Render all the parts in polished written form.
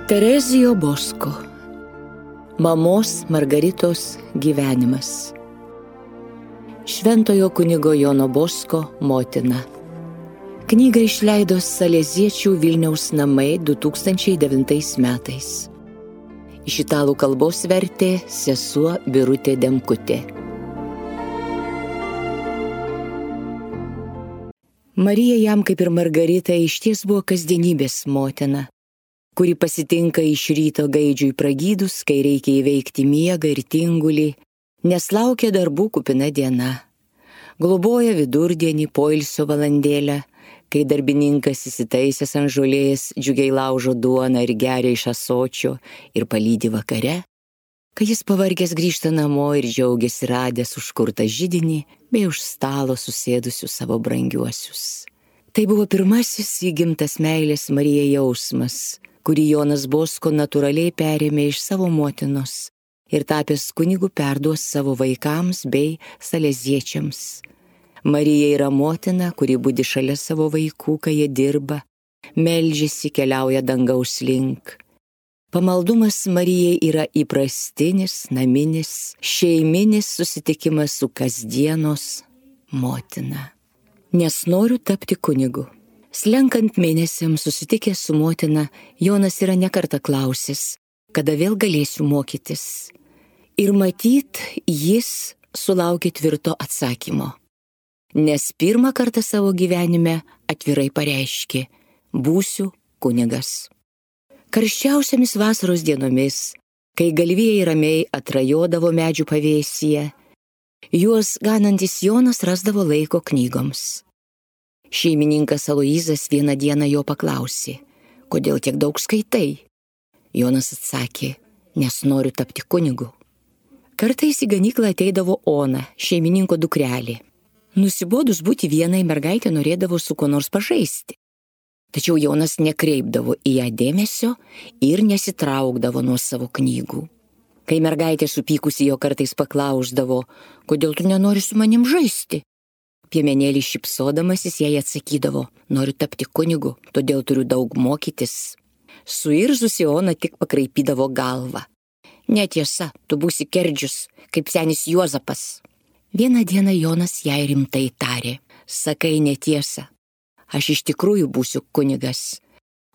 Terezijo Bosko. Mamos Margaritos gyvenimas. Šventojo kunigo Jono Bosko motina. Knygą išleido Saleziečių Vilniaus namai 2009 metais. Iš italų kalbos vertė sesuo Birutė Demkutė. Marija jam, kaip ir Margarita, išties buvo kasdienybės motina, kuri pasitinka iš ryto gaidžiui pragydus, kai reikia įveikti miegą ir tingulį, nes laukia darbų kupina diena. Globoja vidurdienį poilsio valandėlę, kai darbininkas įsitaisęs ant žolės džiugiai laužo duoną ir geria iš ąsočio ir palydi vakare, kai jis pavargęs grįžta namo ir džiaugiasi radęs užkurtą židinį bei už stalo susėdusius savo brangiuosius. Tai buvo pirmasis įgimtas meilės Marijai jausmas, kurį Jonas Bosko natūraliai perėmė iš savo motinos ir tapęs kunigu perduos savo vaikams bei saleziečiams. Marija yra motina, kuri budi šalia savo vaikų, kai jie dirba, meldžiasi, keliauja dangaus link. Pamaldumas Marijai yra įprastinis, naminis, šeiminis susitikimas su kasdienos motina. Nes noriu tapti kunigu. Slenkant mėnesiams susitikęs su motina, Jonas yra nekartą klausęs, kada vėl galėsiu mokytis. Ir matyt, jis sulaukė tvirto atsakymo. Nes pirmą kartą savo gyvenime atvirai pareiškė: būsiu kunigas. Karščiausiamis vasaros dienomis, kai galvijai ramiai atrajodavo medžių pavėsyje, juos ganantis Jonas rasdavo laiko knygoms. Šeimininkas Aloyzas vieną dieną jo paklausė: kodėl tiek daug skaitai? Jonas atsakė: nes noriu tapti kunigu. Kartais į ganyklą ateidavo Ona, šeimininko dukrelė. Nusibodus būti vienai, mergaitė norėdavo su kuo nors pažaisti. Tačiau Jonas nekreipdavo į ją dėmesio ir nesitraukdavo nuo savo knygų. Kai mergaitė supykusi jo kartais paklausdavo: kodėl tu nenori su manim žaisti? Piemenėlis šypsodamasis jai atsakydavo: noriu tapti kunigu, todėl turiu daug mokytis. Suirzusi Ona tik pakraipydavo galvą: netiesa, tu būsi kerdžius, kaip senis Juozapas. Vieną dieną Jonas jai rimtai tarė: sakai netiesą, aš iš tikrųjų būsiu kunigas,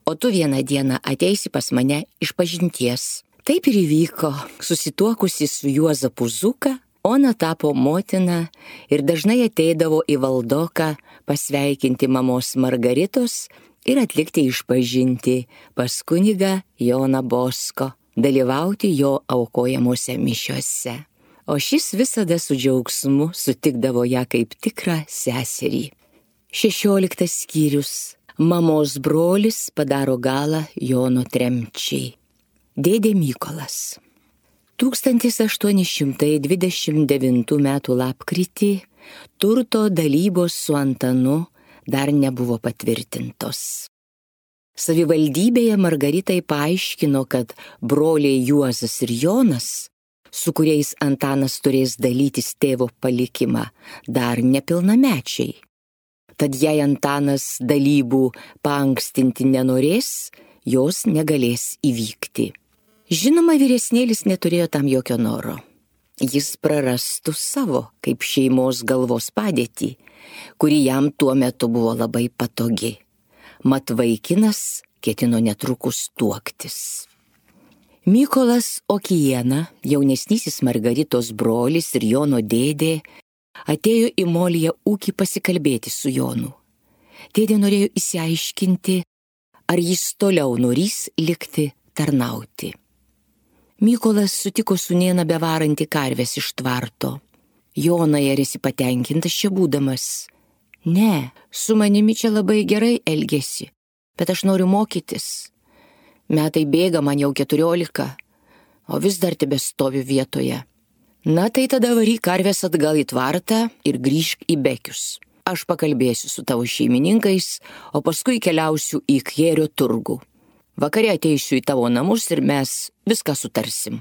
o tu vieną dieną ateisi pas mane išpažinties. Taip ir įvyko. Susituokusi su Juozapu Zuka, Ona tapo motina ir dažnai ateidavo į Valdoką pasveikinti mamos Margaritos ir atlikti išpažintį pas kunigą Joną Bosko, dalyvauti jo aukojamuose mišiuose. O šis visada su džiaugsmu sutikdavo ją kaip tikrą seserį. 16 skyrius. Mamos brolis padaro galą Jono tremčiai. Dėdė Mykolas. 1829 m. lapkritį turto dalybos su Antanu dar nebuvo patvirtintos. Savivaldybėje Margaritai paaiškino, kad broliai Juozas ir Jonas, su kuriais Antanas turės dalytis tėvo palikimą, dar nepilnamečiai. Tad jei Antanas dalybų paankstinti nenorės, jos negalės įvykti. Žinoma, vyresnėlis neturėjo tam jokio noro. Jis prarastų savo kaip šeimos galvos padėtį, kuri jam tuo metu buvo labai patogi. Mat vaikinas ketino netrukus tuoktis. Mykolas Okiena, jaunesnysis Margaritos brolis ir Jono dėdė, atėjo į Moliją ūkį pasikalbėti su Jonu. Dėdė norėjo išsiaiškinti, ar jis toliau norės likti tarnauti. Mykolas sutiko sūnėną bevarantį karves iš tvarto. Jonai, ar esi patenkintas čia būdamas? Ne, su manimi čia labai gerai elgėsi, bet aš noriu mokytis. Metai bėga, man jau 14, o vis dar tebestoviu vietoje. Na tai tada varyk karves atgal į tvartą ir grįžk į Bekius. Aš pakalbėsiu su tavo šeimininkais, o paskui keliausiu į Kjėrio turgų. Vakare ateisiu į tavo namus ir mes viską sutarsim.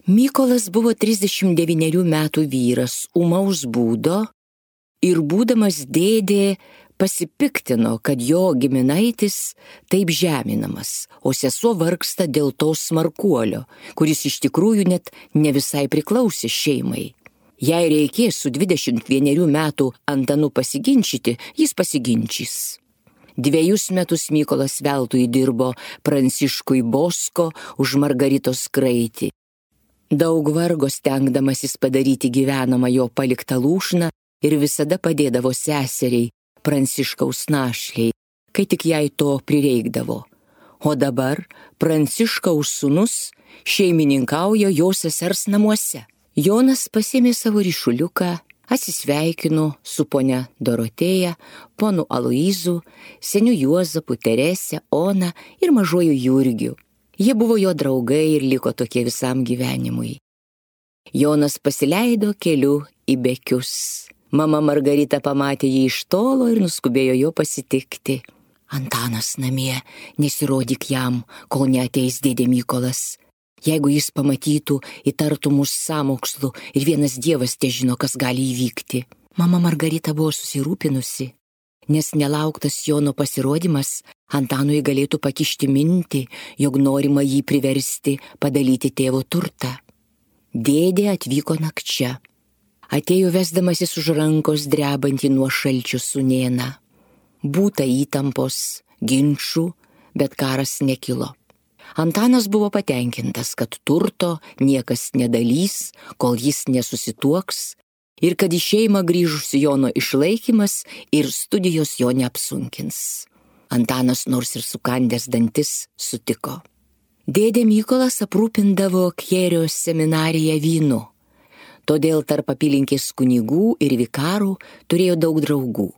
Mykolas buvo 39 metų vyras, ūmaus būdo ir būdamas dėdė Pasipiktino, kad jo giminaitis taip žeminamas, o sesuo vargsta dėl to smarkuolio, kuris iš tikrųjų net ne visai priklausė šeimai. Jei reikės su 21 metų Antanu pasiginčyti, jis pasiginčys. 2 metus Mykolas veltui dirbo Pranciškui Bosko už Margaritos kraitį. Daug vargo stengdamasis padaryti gyvenamą jo paliktą lūšną ir visada padėdavo seseriai, Pranciškaus našliai, kai tik jai to prireikdavo. O dabar Pranciškaus sūnus šeimininkauja jo sesers namuose. Jonas pasėmė savo ryšuliuką, atsisveikino su ponia Dorotėja, ponu Aloyzu, seniu Juozapu, Terese, Ona ir mažuoju Jurgiu. Jie buvo jo draugai ir liko tokie visam gyvenimui. Jonas pasileido keliu į Bekius. Mama Margarita pamatė jį iš tolo ir nuskubėjo jo pasitikti. Antanas namie, nesirodyk jam, kol neateis dėdė Mykolas. Jeigu jis pamatytų, įtartų mus sąmokslu ir vienas Dievas težino, kas gali įvykti. Mama Margarita buvo susirūpinusi, nes nelauktas Jono pasirodymas Antanui galėtų pakišti mintį, jog norima jį priversti padalyti tėvo turtą. Dėdė atvyko nakčia. Atėjo vesdamasis už rankos drebantį nuo šalčių sūnėną. Būta įtampos, ginčų, bet karas nekilo. Antanas buvo patenkintas, kad turto niekas nedalys, kol jis nesusituoks, ir kad į šeimą grįžusi Jono išlaikymas ir studijos jo neapsunkins. Antanas nors ir sukandęs dantis sutiko. Dėdė Mykolas aprūpindavo Kėrio seminariją vynu. Todėl tarp apylinkės kunigų ir vikarų turėjo daug draugų.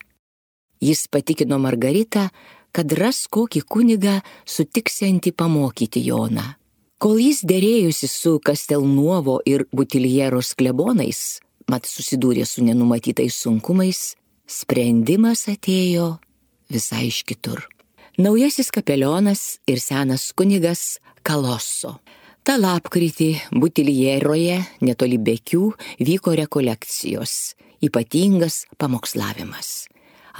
Jis patikino Margaritą, kad ras kokį kunigą sutiksiantį pamokyti Joną. Kol jis derėjusi su Kastelnuovo ir Butiljeros klebonais, mat susidūrė su nenumatytais sunkumais, sprendimas atėjo visai iš kitur. Naujasis kapelionas ir senas kunigas Kaloso. Ta lapkritį Butiljeroje, netoli Bekių, vyko rekolekcijos, ypatingas pamokslavimas.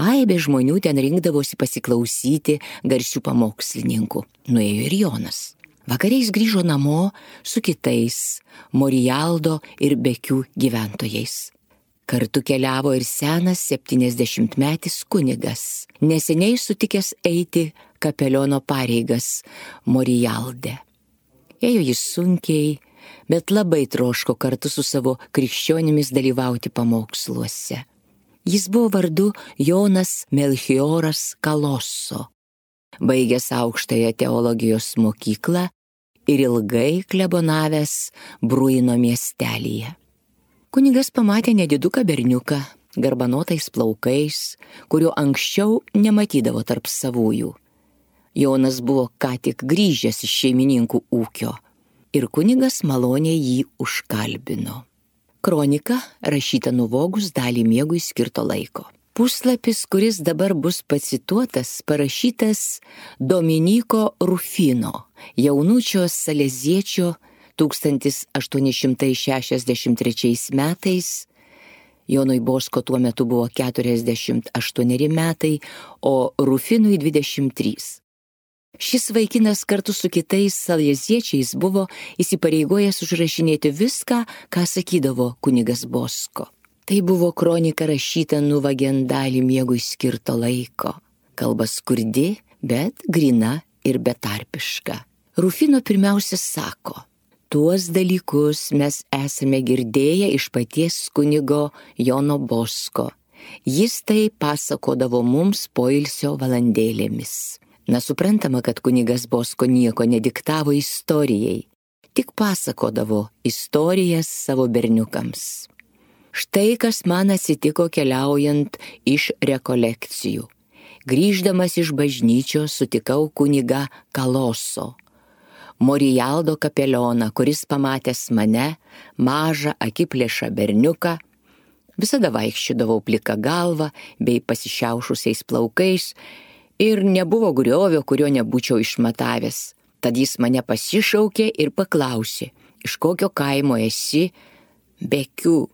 Aibė žmonių ten rinkdavosi pasiklausyti garsių pamokslininkų. Nuėjo ir Jonas. Vakariais grįžo namo su kitais Morijaldo ir Bekių gyventojais. Kartu keliavo ir senas 70-metis kunigas, neseniai sutikęs eiti kapeliono pareigas Morijalde. Ėjo jis sunkiai, bet labai troško kartu su savo krikščionimis dalyvauti pamoksluose. Jis buvo vardu Jonas Melchioras Kaloso, baigęs aukštąją teologijos mokyklą ir ilgai klebonavęs Bruino miestelyje. Kunigas pamatė nediduką berniuką, garbanotais plaukais, kurio anksčiau nematydavo tarp savųjų. Jonas buvo ką tik grįžęs iš šeimininkų ūkio ir kunigas maloniai jį užkalbino. Kronika rašyta nuvogus dalį miegui skirto laiko. Puslapis, kuris dabar bus pacituotas, parašytas Dominiko Rufino, jaunučio saleziečio 1863 metais. Jonui Bosko tuo metu buvo 48 metai, o Rufinui 23. Šis vaikinas kartu su kitais saleziečiais buvo įsipareigojęs užrašinėti viską, ką sakydavo kunigas Bosko. Tai buvo kronika rašyta nuvagiant dalį miegui skirto laiko. Kalba skurdi, bet grina ir betarpiška. Rufino pirmiausia sako: tuos dalykus mes esame girdėję iš paties kunigo Jono Bosko. Jis tai pasakodavo mums poilsio valandėlėmis. Na, suprantama, kad kunigas Bosko nieko nediktavo istorijai, tik pasakodavo istorijas savo berniukams. Štai kas man atsitiko keliaujant iš rekolekcijų. Grįždamas iš bažnyčios sutikau kunigą Kaloso, Morijaldo kapelioną, kuris pamatęs mane, mažą akiplėšą berniuką, visada vaikščiodavau plika galva bei pasišiaušusiais plaukais, ir nebuvo griovio, kurio nebūčiau išmatavęs. Tad jis mane pasišaukė ir paklausė: iš kokio kaimo esi? Bekių.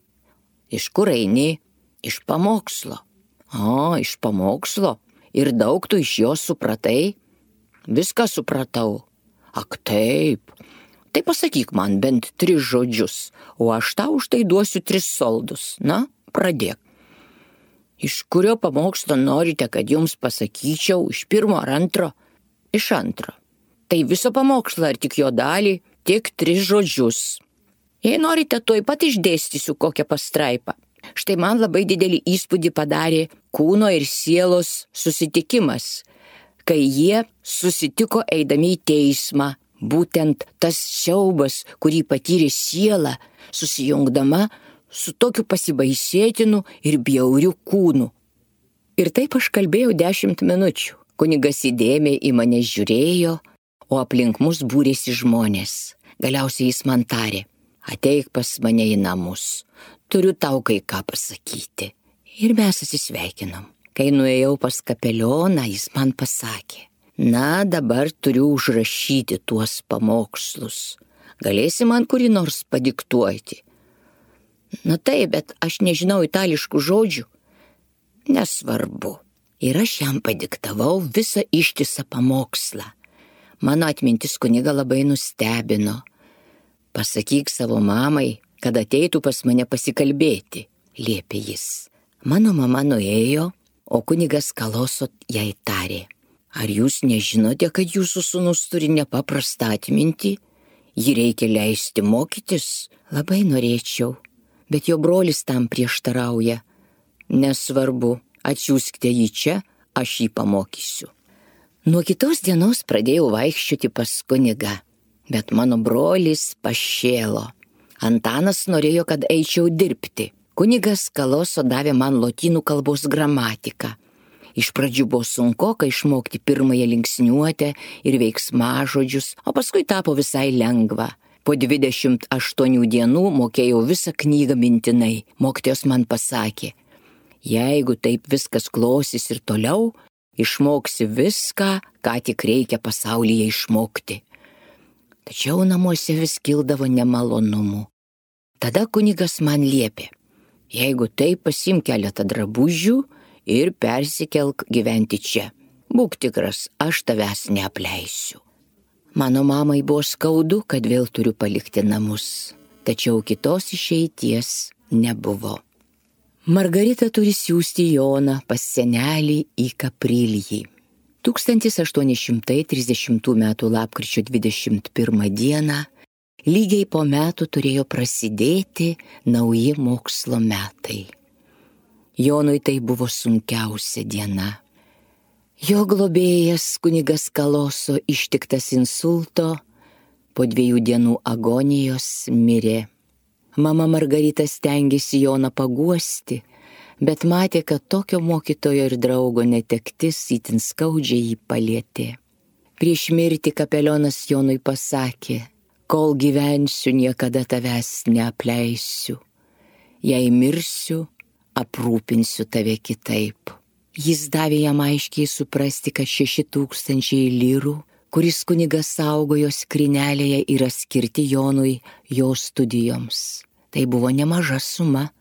Iš kur eini? Iš pamokslo. Iš pamokslo. Ir daug tu iš jo supratai? Viską supratau. Ak taip. Tai pasakyk man bent 3 žodžius, o aš tau už tai duosiu 3 soldus. Na, pradėk. Iš kurio pamokslo norite, kad jums pasakyčiau? Iš 1 ar 2? Iš 2. Tai viso pamokslo ar tik jo dalį? Tik 3 žodžius. Jei norite, tuoj pat išdėstysiu kokią pastraipą. Štai man labai didelį įspūdį padarė kūno ir sielos susitikimas, kai jie susitiko eidami į teismą. Būtent tas siaubas, kurį patyrė siela, susijungdama su tokiu pasibaisėtinu ir bjauriu kūnu. Ir taip aš kalbėjau 10 minučių. Kunigas įdėmiai į mane žiūrėjo, o aplink mus būrėsi žmonės. Galiausiai jis man tarė: ateik pas mane į namus. Turiu tau kai ką pasakyti. Ir mes atsisveikinom. Kai nuėjau pas kapelioną, jis man pasakė: na, dabar turiu užrašyti tuos pamokslus. Galėsi man kurį nors padiktuoti? Na taip, bet aš nežinau itališkų žodžių. Nesvarbu. Ir aš jam padiktavau visą ištisą pamokslą. Mano atmintis kunigą labai nustebino. Pasakyk savo mamai, kad ateitų pas mane pasikalbėti, liepė jis. Mano mama nuėjo, o kunigas Kaloso jai tarė: ar jūs nežinote, kad jūsų sūnus turi nepaprastą atmintį? Jį reikia leisti mokytis? Labai norėčiau, bet jo brolis tam prieštarauja. Nesvarbu, atsiųskite jį čia, aš jį pamokysiu. Nuo kitos dienos pradėjau vaikščioti pas kunigą, bet mano brolis pašėlo. Antanas norėjo, kad eičiau dirbti. Kunigas Kaloso davė man lotynų kalbos gramatiką. Iš pradžių buvo sunkoka išmokti pirmąją linksniuotę ir veiksmažodžius, o paskui tapo visai lengva. Po 28 dienų mokėjau visą knygą mintinai. Mokytojas man pasakė: jeigu taip viskas klostys ir toliau, išmoksi viską, ką tik reikia pasaulyje išmokti. Tačiau namuose vis kildavo nemalonumų. Tada kunigas man liepė: jeigu taip, pasiimk keletą drabužių ir persikelk gyventi čia. Būk tikras, aš tavęs neapleisiu. Mano mamai buvo skaudu, kad vėl turiu palikti namus, tačiau kitos išeities nebuvo. Margarita turi siųsti Joną pas senelį į Kaprilijį. 1830 m. lapkričio 21 dieną, lygiai po metų turėjo prasidėti nauji mokslo metai. Jonui tai buvo sunkiausia diena. Jo globėjas kunigas Kaloso ištiktas insulto, po 2 dienų agonijos mirė. Mama Margarita stengėsi Joną paguosti, bet matė, kad tokio mokytojo ir draugo netektis itin skaudžiai jį palietė. Prieš mirtį kapelionas Jonui pasakė: kol gyvensiu, niekada tavęs neapleisiu. Jei mirsiu, aprūpinsiu tave kitaip. Jis davė jam aiškiai suprasti, kad 6000 lyrų, kuris kunigas saugojo skrynelėje, yra skirti Jonui jo studijoms. Tai buvo nemaža suma.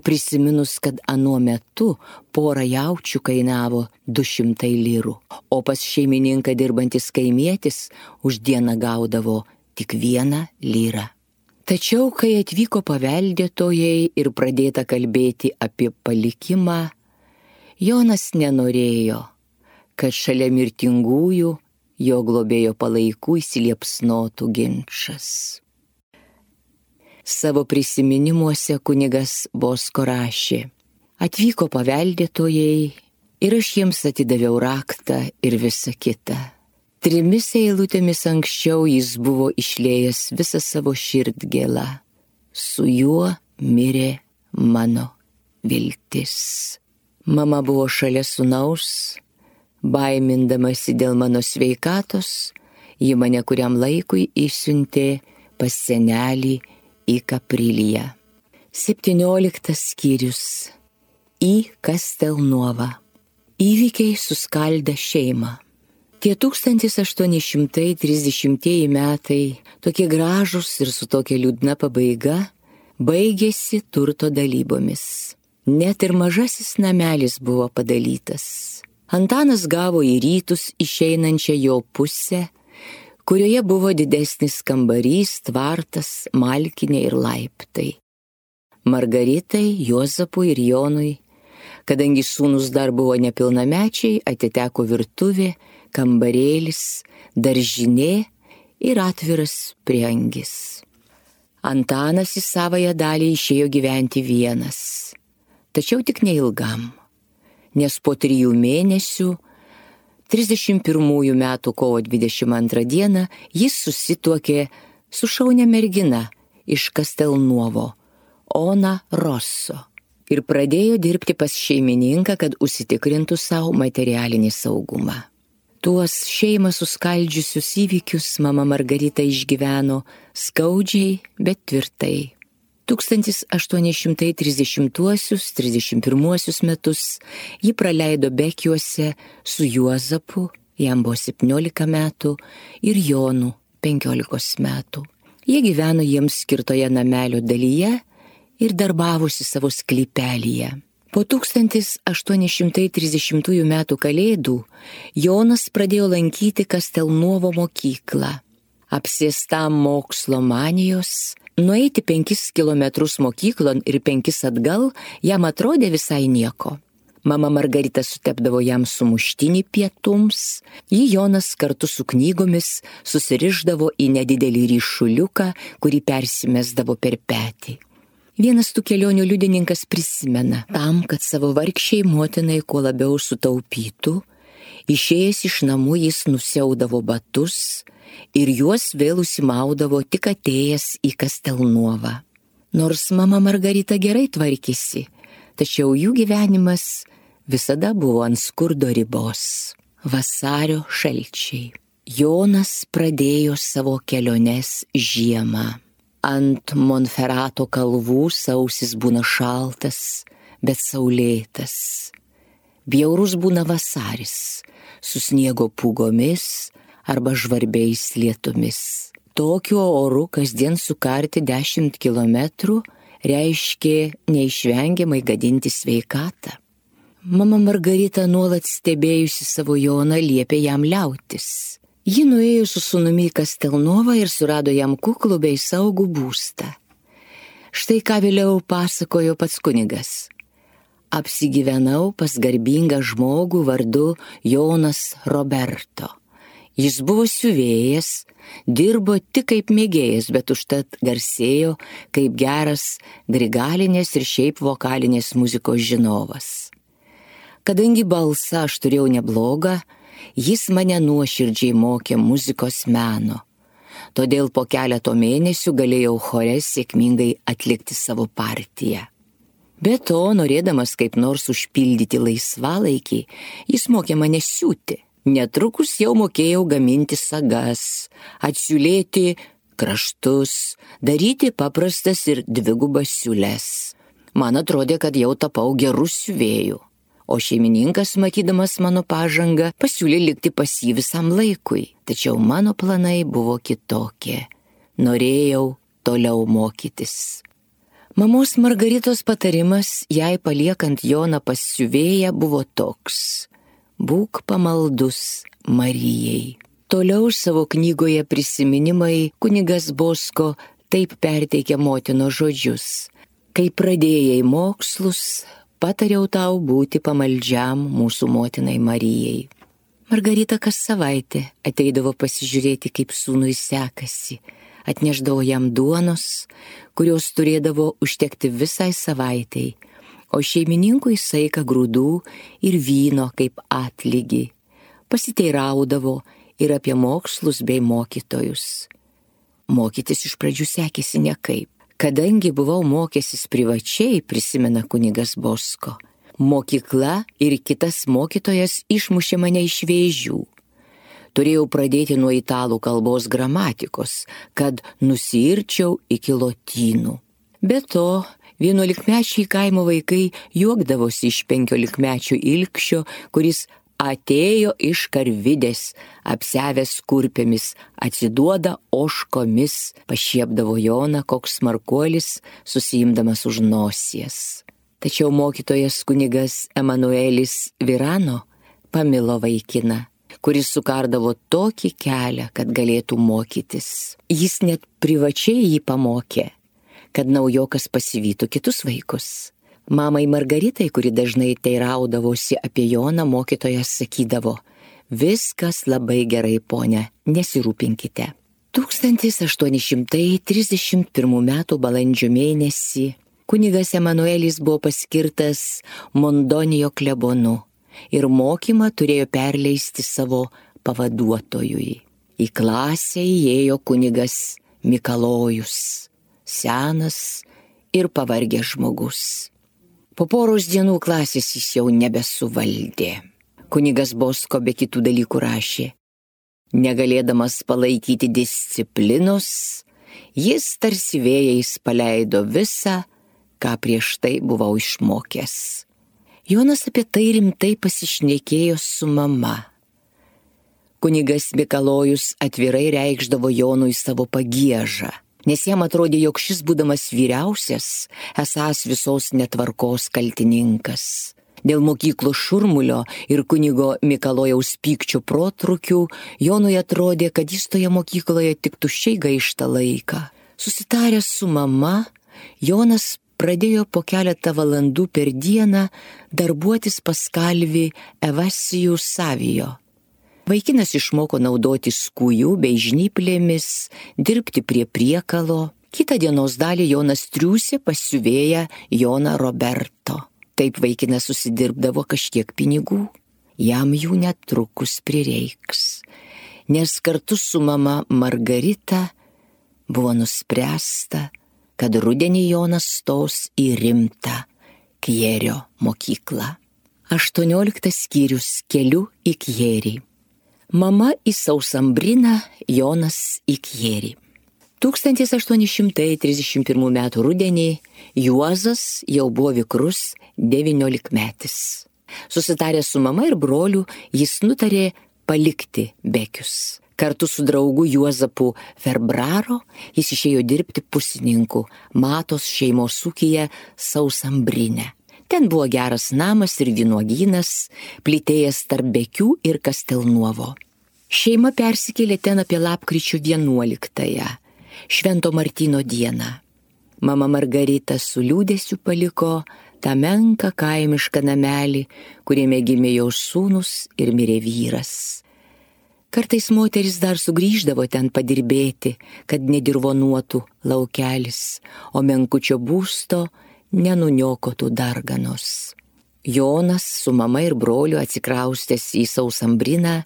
Prisiminus, kad anuo metu pora jaučių kainavo 200 lyrų, o pas šeimininką dirbantis kaimietis už dieną gaudavo tik 1 lyrą. Tačiau, kai atvyko paveldėtojai ir pradėta kalbėti apie palikimą, Jonas nenorėjo, kad šalia mirtingųjų jo globėjo palaikų įsiliepsnotų ginčas. Savo prisiminimuose kunigas Bosko rašė: atvyko paveldėtojai ir aš jiems atidaviau raktą ir visą kitą. 3 eilutėmis anksčiau jis buvo išliejęs visą savo širdgėlą. Su juo mirė mano viltis. Mama buvo šalia sūnaus, baimindamasi dėl mano sveikatos, ji mane kuriam laikui išsiuntė pas senelį į Kapriliją. 17 skyrius. Į Kastelnuovą. Įvykiai suskaldė šeimą. Tie 1830 metai, tokie gražūs ir su tokia liūdna pabaiga, baigėsi turto dalybomis. Net ir mažasis namelis buvo padalytas. Antanas gavo į rytus išeinančią jo pusę, kurioje buvo didesnis kambarys, tvartas, malkinė ir laiptai. Margaritai, Juozapui ir Jonui, kadangi sūnus dar buvo nepilnamečiai, atiteko virtuvė, kambarėlis, daržinė ir atviras prieangis. Antanas į savąją dalį išėjo gyventi vienas, tačiau tik neilgam, nes po 3 mėnesių, 31 metų kovo 22 dieną, jis susituokė su šaunia mergina iš Kastelnuovo, Ona Rosso, ir pradėjo dirbti pas šeimininką, kad užsitikrintų savo materialinį saugumą. Tuos šeimą suskaldžiusius įvykius mama Margarita išgyveno skaudžiai, bet tvirtai. 1830-31 metus ji praleido Bekiuose su Juozapu, jam buvo 17 metų, ir Jonu 15 metų. Jie gyveno jiems skirtoje namelio dalyje ir darbavosi savo sklypelyje. Po 1830 metų kalėdų Jonas pradėjo lankyti Kastelnuovo mokyklą. Apsėstam mokslo manijos, nueiti 5 kilometrus mokyklon ir 5 atgal jam atrodė visai nieko. Mama Margarita sutepdavo jam sumuštinį pietums, jį Jonas kartu su knygomis susirišdavo į nedidelį ryšuliuką, kurį persimesdavo per petį. Vienas tų kelionių liudininkas prisimena, tam, kad savo vargšiai motinai kuo labiau sutaupytų, išėjęs iš namų jis nusiaudavo batus ir juos vėl užsimaudavo tik atėjęs į Kastelnuovą. Nors mama Margarita gerai tvarkėsi, tačiau jų gyvenimas visada buvo ant skurdo ribos. Vasario šalčiai. Jonas pradėjo savo keliones žiemą. Ant Monferato kalvų sausis būna šaltas, bet saulėtas. Bjaurus būna vasaris, su sniego pūgomis arba žvarbiais lietumis. Tokiu oru kasdien sukarti 10 kilometrų reiškė neišvengiamai gadinti sveikatą. Mama Margarita nuolat stebėjusi savo Joną liepė jam liautis. Ji nuėjo su sūnumi į Kastelnuovą ir surado jam kuklų bei saugų būstą. Štai ką vėliau pasakojo pats kunigas. Apsigyvenau pas garbingą žmogų vardu Jonas Roberto. Jis buvo siuvėjas, dirbo tik kaip mėgėjas, bet užtat garsėjo kaip geras grigalinės ir šiaip vokalinės muzikos žinovas. Kadangi balsą aš turėjau neblogą, jis mane nuoširdžiai mokė muzikos meno. Todėl po keleto mėnesių galėjau chore sėkmingai atlikti savo partiją. Be to, norėdamas kaip nors užpildyti laisvalaikį, jis mokė mane siūti. Netrukus jau mokėjau gaminti sagas, atsiūlėti kraštus, daryti paprastas ir dvigubas siūles. Man atrodė, kad jau tapau gerų siuvėjų. O šeimininkas, matydamas mano pažangą, pasiūlė likti pas jį visam laikui. Tačiau mano planai buvo kitokie. Norėjau toliau mokytis. Mamos Margaritos patarimas, jai paliekant Joną pas siuvėją, buvo toks: būk pamaldus Marijai. Toliau savo knygoje Prisiminimai kunigas Bosko taip perteikia motinos žodžius: kai pradėjai mokslus, patariau tau būti pamaldžiam mūsų motinai Marijai. Margarita kas savaitę ateidavo pasižiūrėti, kaip sūnui sekasi, atnešdavo jam duonos, kurios turėdavo užtekti visai savaitei, o šeimininkui saiką grūdų ir vyno kaip atlygį. Pasiteiraudavo ir apie mokslus bei mokytojus. Mokytis iš pradžių sekėsi nekaip. Kadangi buvau mokęsis privačiai, prisimena kunigas Bosko, mokykla ir kitas mokytojas išmušė mane iš vėžių. Turėjau pradėti nuo italų kalbos gramatikos, kad nusiirčiau iki lotynų. Be to, 11-mečiai kaimo vaikai juokdavosi iš 15-mečio ilgšio, kuris atėjo iš karvidės, apsiavęs kurpėmis, atsiduoda ožkomis, pašiepdavo Joną koks smarkuolis, susiimdamas už nosies. Tačiau mokytojas kunigas Emanuelis Virano pamilo vaikiną, kuris sukardavo tokį kelią, kad galėtų mokytis. Jis net privačiai jį pamokė, kad naujokas pasivytų kitus vaikus. Mamai Margaritai, kuri dažnai teiraudavosi apie Joną, mokytojas sakydavo: viskas labai gerai, ponia, nesirūpinkite. 1831 m. balandžio mėnesį kunigas Emanuelis buvo paskirtas Mondonijo klebonu ir mokymą turėjo perleisti savo pavaduotojui. Į klasę įėjo kunigas Mikalojus, senas ir pavargęs žmogus. Po poros dienų klasės jis jau nebesuvaldė. Kunigas Bosko be kitų dalykų rašė: negalėdamas palaikyti disciplinos, jis tarsi vėjais paleido visą, ką prieš tai buvau išmokęs. Jonas apie tai rimtai pasišnekėjo su mama. Kunigas Mikalojus atvirai reikšdavo Jonui savo pagiežą, nes jam atrodė, jog šis, būdamas vyriausias, esąs visos netvarkos kaltininkas. Dėl mokyklos šurmulio ir kunigo Mikalojaus pykčio protrukių Jonui atrodė, kad jis toje mokykloje tik tuščiai gaišta laiką. Susitaręs su mama, Jonas pradėjo po keletą valandų per dieną darbuotis pas kalvį Evasijų Savijo. Vaikinas išmoko naudoti skujų bei žnyplėmis, dirbti prie priekalo. Kitą dienos dalį Jonas triūsė pas siuvėją Joną Roberto. Taip vaikinas susidirbdavo kažkiek pinigų. Jam jų netrukus prireiks, nes kartu su mama Margarita buvo nuspręsta, kad rudenį Jonas stos į rimtą Kjėrio mokyklą. 18 skyrius keliu į Kjėrį. Mama į Sausambriną, Jonas į Kjėrį. 1831 m. rudenį Juozas jau buvo vikrus 19-metis. Susitaręs su mama ir broliu, jis nutarė palikti Bekius. Kartu su draugu Juozapu Ferbraro jis išėjo dirbti pusininku Matos šeimos ūkyje Sausambrine. Ten buvo geras namas ir vynuogynas, plytėjęs tarp Bekių ir Kastelnuovo. Šeima persikėlė ten apie lapkričio 11-ąją, Švento Martyno dieną. Mama Margarita su liūdesiu paliko tą menką kaimišką namelį, kuriame gimė jos sūnus ir mirė vyras. Kartais moteris dar sugrįždavo ten padirbėti, kad nedirvonuotų laukelis, o menkučio būsto nenuniokotų darganos. Jonas su mama ir broliu atsikraustęs į Sausambriną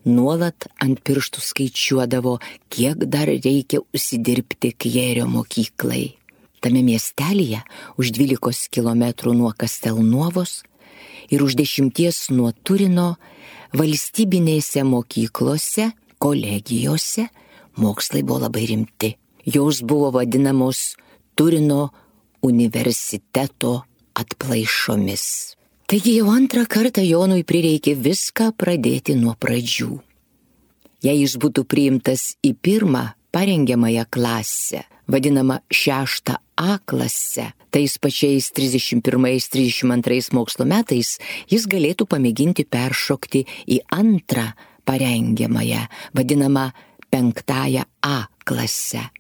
nuolat ant pirštų skaičiuodavo, kiek dar reikia užsidirbti Kjėrio mokyklai. Tame miestelyje už 12 kilometrų nuo Kastelnuovos ir už 10 nuo Turino valstybinėse mokyklose, kolegijose mokslai buvo labai rimti. Jos buvo vadinamos Turino universiteto atplaišomis. Taigi jau antrą kartą Jonui prireikė viską pradėti nuo pradžių. Jei jis būtų priimtas į pirmą parengiamąją klasę, vadinamą 6A klasę, tais pačiais 31-32 mokslo metais jis galėtų pamėginti peršokti į antrą parengiamąją, vadinamą 5A klasę.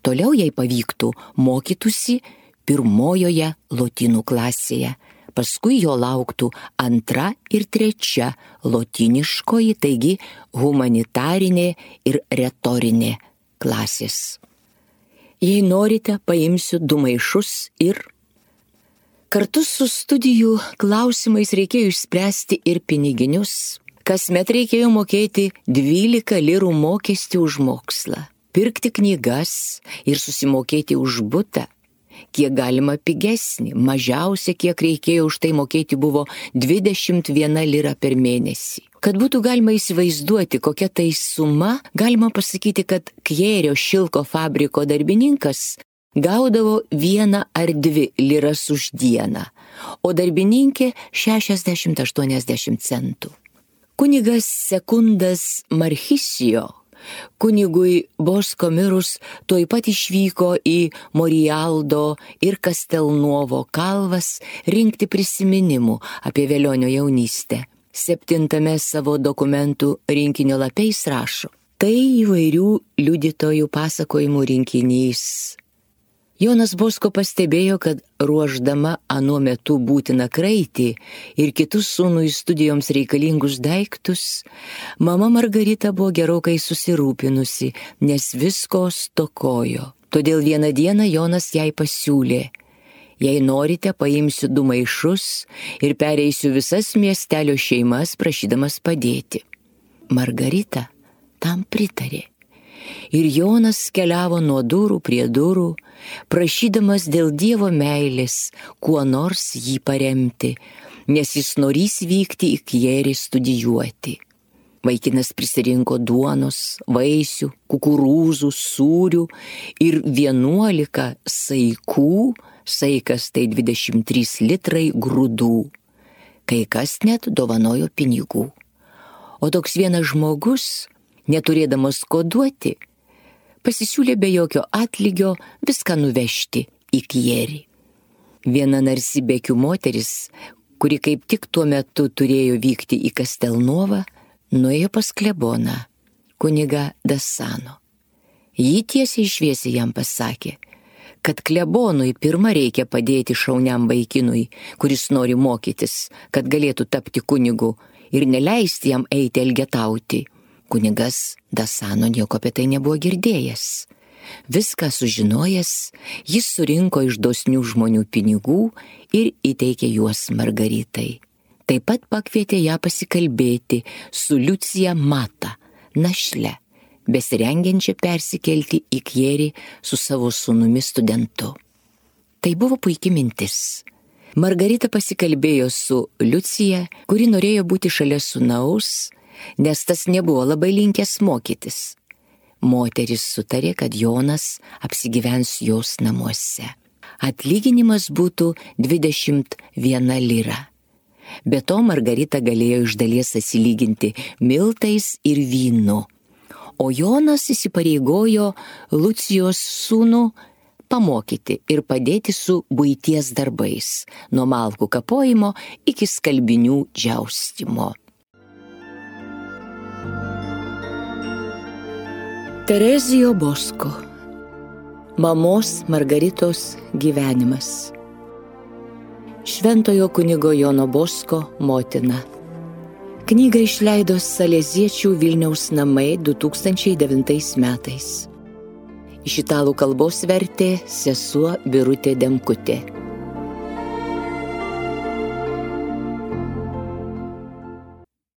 Toliau, jei pavyktų, mokytųsi pirmojoje lotynų klasėje. Paskui jo lauktų 2 ir 3 lotyniškoji, taigi humanitarinė ir retorinė klasės. Jei norite, paimsiu 2 maišus ir... Kartu su studijų klausimais reikėjo išspręsti ir piniginius. Kasmet reikėjo mokėti 12 lirų mokestį už mokslą, pirkti knygas ir susimokėti už butą. Kiek galima pigesnį, mažiausia, kiek reikėjo už tai mokėti, buvo 21 lira per mėnesį. Kad būtų galima įsivaizduoti, kokia tai suma, galima pasakyti, kad Kjėrio šilko fabriko darbininkas gaudavo 1 ar 2 liras už dieną, o darbininkė 60-80 centų. Kunigas Sekundas Marchisijo, Kunigui Bosko mirus tuoj pat išvyko į Morialdo ir Kastelnuovo kalvas rinkti prisiminimų apie velionio jaunystę. 7 savo dokumentų rinkinio lape jis rašo: tai įvairių liudytojų pasakojimų rinkinys. Jonas Bosko pastebėjo, kad ruošdama anuo metu būtiną kraitį ir kitus sūnui studijoms reikalingus daiktus, mama Margarita buvo gerokai susirūpinusi, nes visko stokojo. Todėl vieną dieną Jonas jai pasiūlė: jei norite, paimsiu 2 maišus ir pereisiu visas miestelio šeimas, prašydamas padėti. Margarita tam pritarė. Ir Jonas keliavo nuo durų prie durų, prašydamas dėl Dievo meilės kuo nors jį paremti, nes jis norės vykti į Kjerį studijuoti. Vaikinas prisirinko duonos, vaisių, kukurūzų, sūrių ir 11 saikų, saikas tai 23 litrai grūdų. Kai kas net dovanojo pinigų. O toks vienas žmogus, neturėdamas ko duoti, pasisiūlė be jokio atlygio viską nuvežti į Kjerį. Viena narsi bekių moteris, kuri kaip tik tuo metu turėjo vykti į Kastelnuovą, nuėjo pas kleboną, kunigą Dasano. Ji tiesiai šviesiai jam pasakė, kad klebonui pirma reikia padėti šauniam vaikinui, kuris nori mokytis, kad galėtų tapti kunigu, ir neleisti jam eiti elgetauti. Kunigas Dasano nieko apie tai nebuvo girdėjęs. Viską sužinojęs, jis surinko iš dosnių žmonių pinigų ir įteikė juos Margaritai. Taip pat pakvietė ją pasikalbėti su Liucija Mata, našle, besirengiančia persikelti į Kjerį su savo sūnumi studentu. Tai buvo puikia mintis. Margarita pasikalbėjo su Liucija, kuri norėjo būti šalia sūnaus, nes tas nebuvo labai linkęs mokytis. Moteris sutarė, kad Jonas apsigyvens jos namuose. Atlyginimas būtų 21 lira. Be to Margarita galėjo iš dalies atsilyginti miltais ir vynu. O Jonas įsipareigojo Lucijos sūnų pamokyti ir padėti su buities darbais, nuo malkų kapojimo iki skalbinių džiaustymo. Terezijo Bosko. Mamos Margaritos gyvenimas. Šventojo kunigo Jono Bosko motina. Knygą išleido Saleziečių Vilniaus namai 2009 metais. Iš italų kalbos vertė sesuo Birutė Demkutė.